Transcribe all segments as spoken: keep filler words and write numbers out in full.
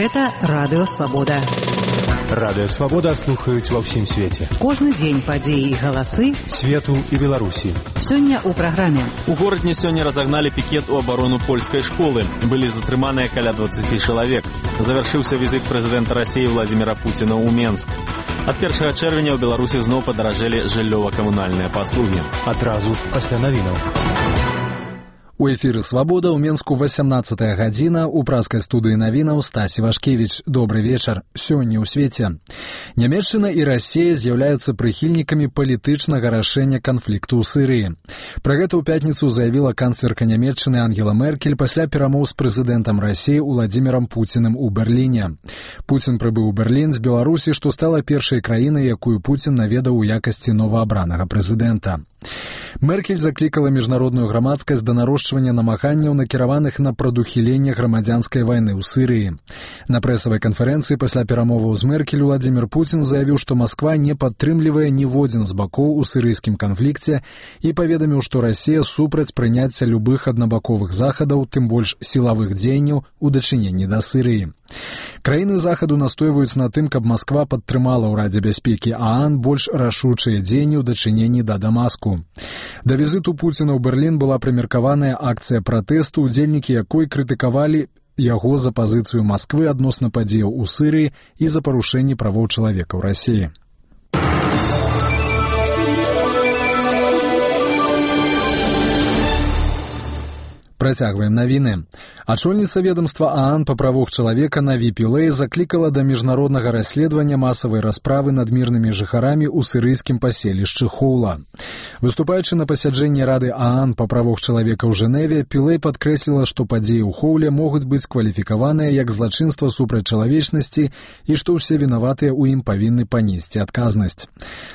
Гэта Радыё Свабода. Радыё Свабода слухаюць ва ўсім свеце. Кожны дзень падзеі і галасы свету і Беларусі. Сёння ў праграме. У горадзе сёння разагналі пікет у абарону польскай школы. Былі затрыманыя каля дваццаць чалавек. Завяршыўся візіт прэзідэнта Расіі Владзіміра Пуціна ў Менск. Ад першага чэрвеня ў Беларусі зноў падаражэлі жыллёва-камунальныя паслугі. Адразу пасля навінаў. У эфіры «Свабода» ў Менску васямнаццатая гадзіна, у праскай студыі навінаў Стась Івашкевіч. Добры вечар. Сёння ў свеце. Нямецчына і Расія з'яўляюцца прыхільнікамі палітычнага рашэння канфлікту ў Сірыі. Пра гэта ў пятніцу заявіла канцлерка Нямецчыны Ангела Меркель пасля перамоў з прэзідэнтам Расіі Уладзімірам Пуціным у Берліне. Пуцін прыбыў у Берлін з Беларусі, што стала першай краінай, якую Пуцін наведаў у якасці новаабранага прэзідэнта. Меркель заклікала міжнародную грамадскасць да нарошчвання намаганняў, накіраваных на прадухіленне грамадзянскай вайны ў Сірыі. На прэсавай канферэнцыі пасля перамоваў з Меркель Владзімір Пуцін заявіў, што Масква не падтрымлівае ніводзін з бакоў у сірыйскім канфлікце і паведаміў, што Расія супраць прыняцця любых аднабаковых захадаў, тым больш сілавых дзеянняў у дачыненні да Сірыі. Краіны захаду настойваюць на тым, каб Масква падтрымала ў Радзе бяспекі ААН больш рашучыя дзеянні ў дачыненні да Дамаску. Да візіту Пуціна ў Берлін была прымеркаваная акцыя пратэсту, удзельнікі якой крытыкавалі яго за пазіцыю Масквы адносна падзеяў у Сірыі і за парушэнні правоў чалавека ў Расіі. Працягваем навіны. Ачольніца ведомства ААН па правах чалавека Наві Пілэй заклікала да міжнароднага расследавання масавай расправы над мірнымі жыхарамі ў сірыйскім паселішчы Хоула. Выступаючы на пасяджэнні Рады ААН па правах чалавека ў Жэневе, Пілэй падкрэсліла, што падзеі ў Хоуле могуць быць кваліфікаваныя як злачынства супраць чалавечнасці і што ўсе вінаватыя ў ім павінны панесці адказнасць.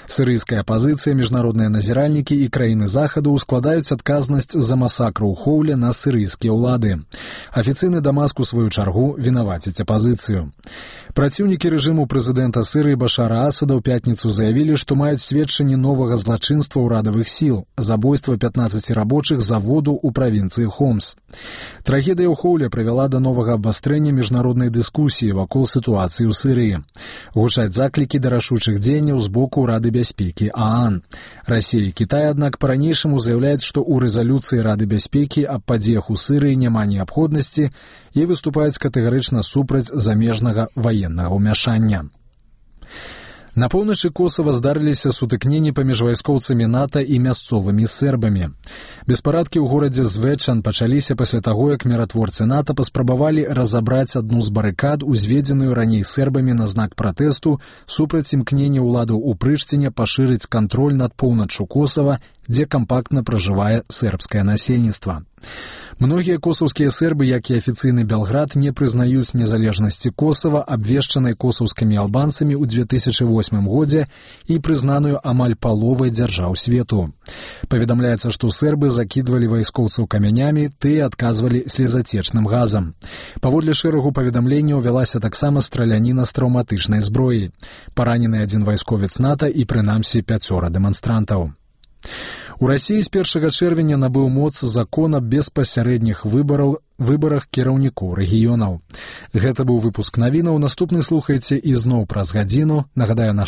Сірыйская апазіцыя, міжнародныя назіральнікі і краіны захаду ускладаюць адказнасць за масакр у Хоуле на сірыйскія ўлады. Афіцыйны Дамаск у сваю чаргу вінаваціць апазіцыю. Праціўнікі рэжыму прэзідэнта Сірыі Башара Асада ў пятніцу заявілі, што маюць сведчанні новага злачынства ўрадавых сіл – забойства пятнаццаці рабочых заводу ў правінцыі Хомс. Трагедыя ў Хоуле прывяла да новага абвастрэння міжнароднай дыскусіі вакол сітуацыі ў Сірыі. Гучаць заклікі да рашучых дзеянняў з боку Рады бяспекі ААН. Расія і Кітай, аднак, па-ранейшаму заяўляюць, што ў рэзалюцыі Рады бяспекі аб падзеях у Сірыі няма неабходнасці і выступаюць катэгарычна супраць замежнага ваеннага ўмяшання. На поўначы Косава здарыліся сутыкненні паміж вайскоўцамі НАТО і мясцовымі сербамі. Беспарадкі ў горадзе Звечан пачаліся пасля таго, як міратворцы НАТО паспрабавалі разабраць адну з барыкад, узведзеную раней сербамі на знак пратэсту супраць імкнення ўладаў у Прыштіне пашырыць кантроль над поўначчу Косава, дзе кампактна пражывае сербскае насельніцтва. Многія косаўскія сербы, як і афіцыйны Белград, не прызнаюць незалежнасці Косава, абвешчанай косаўскімі албанцамі ў две тысячы восьмым годзе і прызнаную амаль паловай дзяржаў свету. Паведамляецца, што сербы закідвалі вайскоўцаў камянямі, тыя адказвалі слезацечным газам. Паводле шэрагу паведамленняў вялася таксама страляніна з траўматычнай зброі. Паранены адзін вайсковец НАТО і, прынамсі, пяцёра дэманстрантаў. У Расіі з першага чэрвеня набыў моц закон аб беспасярэдніх выбараў, выбарах кіраўнікоў рэгіёнаў. Гэта быў выпуск навінаў. Наступны слухайце ізноў праз гадзіну. Нагадаю, наш